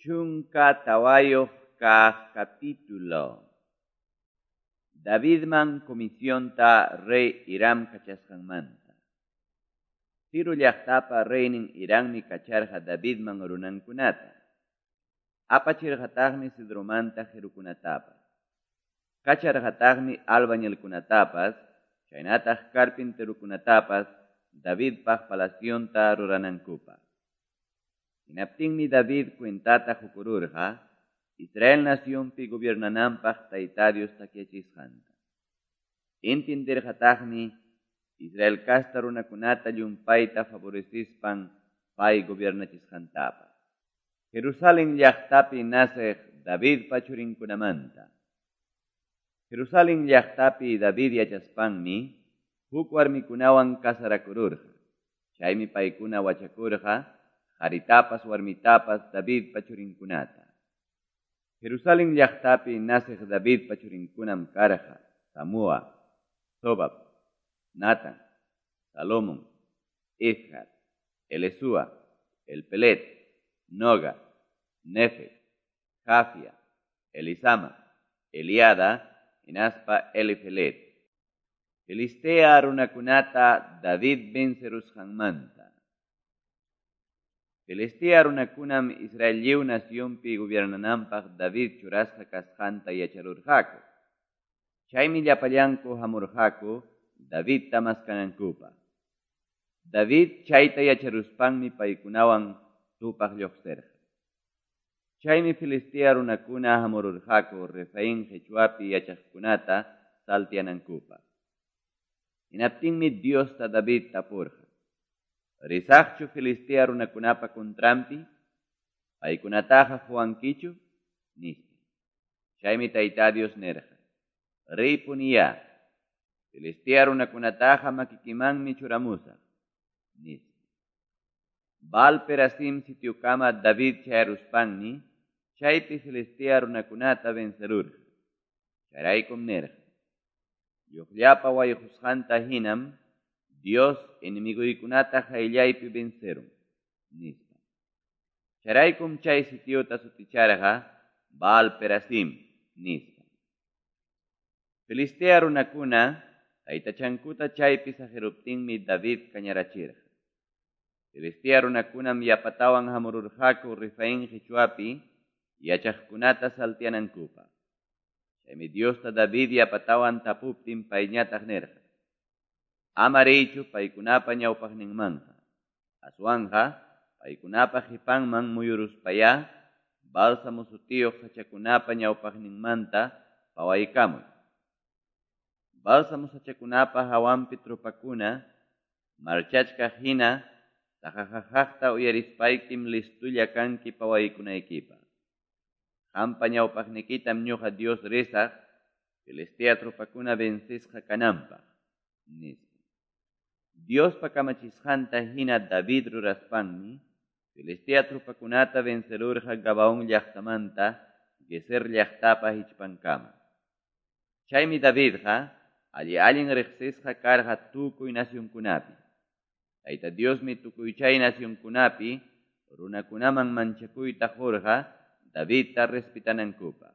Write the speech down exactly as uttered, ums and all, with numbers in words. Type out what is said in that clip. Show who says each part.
Speaker 1: Chunka tawayuq kaq capítulo. Davidman comisionta rey Hiram kachasqanmanta. Tiro llaqtapa reynin Hirammi kacharqa Davidman runankunata. Apachirqataqmi cedromanta qirukunatapas. Kacharqataqmi albañilkunatapas, chaynataq carpinterokunatapas Davidpaq palacionta ruranankupaq. Hinaptinmi David cuentata qukururqa Israel nacionpi gobiernananpaq Tayta Dios takyachisqanta. Entenderqataqmi Israel casta runakunata llumpayta favorecispan pay gobiernachisqantapas. Jerusalén llaqtapi naceq Davidpa churinkunamanta. Jerusalén llaqtapi David yachaspanmi huk warmikunawan casarakururqa. Chaymi paykuna wachakurqa qaritapas warmitapas Davidpa churinkunata. Jerusalén llaqtapi naceq Davidpa churinkunam karqa Samua, Sobab, Natan, Salomón, Izhar, Elesúa, Elpelet, Noga, Nefeg, Jafia, Elisama, Eliada, hinaspa Elifelet. Filistea runakunata David vencerusqanmanta. Filistea runakunam Israel lliw nacionpi gobiernananpaq David churasqa kasqanta yacharurqaku. Chaymi llapallanku hamurqaku Davidta maskanankupaq. David chayta yacharuspanmi paykunawan tupaq lluqsirqa. Chaymi Filistea runakuna hamururqaku Refaín qichwapi yachaqkunata saltianankupaq. Hinaptinmi Diosta David tapurqa: Risaqchu Filistea runakunapa contranpi? Paykunataqa quwankichu? Nispa. Chaymi Tayta Dios nirqa: Riypuniyá, Filistea runakunataqa makikimanmi churamusaq, nispa. Baal Perasim sitiokama David chayaruspanmi chaypi Filistea runakunata vencerurqa. Chayraykum nirqa: Lluqllapa wayqusqanta hinam Dios enemiguykunata qayllaypi vencerun, nispa. Chayraykum chay sitiota suticharqa Baal Perasim, nispa. Filistea runakuna taytachankuta chaypi saqiruptinmi David kañarachirqa. Filistea runakunam yapatawan hamururqaku Refaín qichwapi yachaqkunata saltianankupaq. Chaymi Diosta David yapatawan tapuptin payñataq nirqa: Ama riychu paykunapa ñawpaqninmanqa. Aswanqa paykunapa qipanman muyuruspayá bálsamo sutiyuq sachakunapa ñawpaqninmanta pawaykamuy. Bálsamo sachakunapa hawanpi tropakuna marchachkaq hina taqaqaqta uyarispaykim listulla kanki pawaykunaykipaq. Qampa ñawpaqnikitam ñuqa Dios risaq Filistea tropakuna vencisqa kananpaq, nispa. Diospa kamachisqanta hina David ruraspanmi Filistea tropakunata vencerurqa Gabaón llaqtamanta Gezer llaqtapa hichpankama. Chaymi Davidqa alli allin riqsisqa karqa tukuy nacionkunapi. Tayta Diosmi tukuy chay nacionkunapi runakunaman manchakuyta qurqa Davidta respetanankupaq.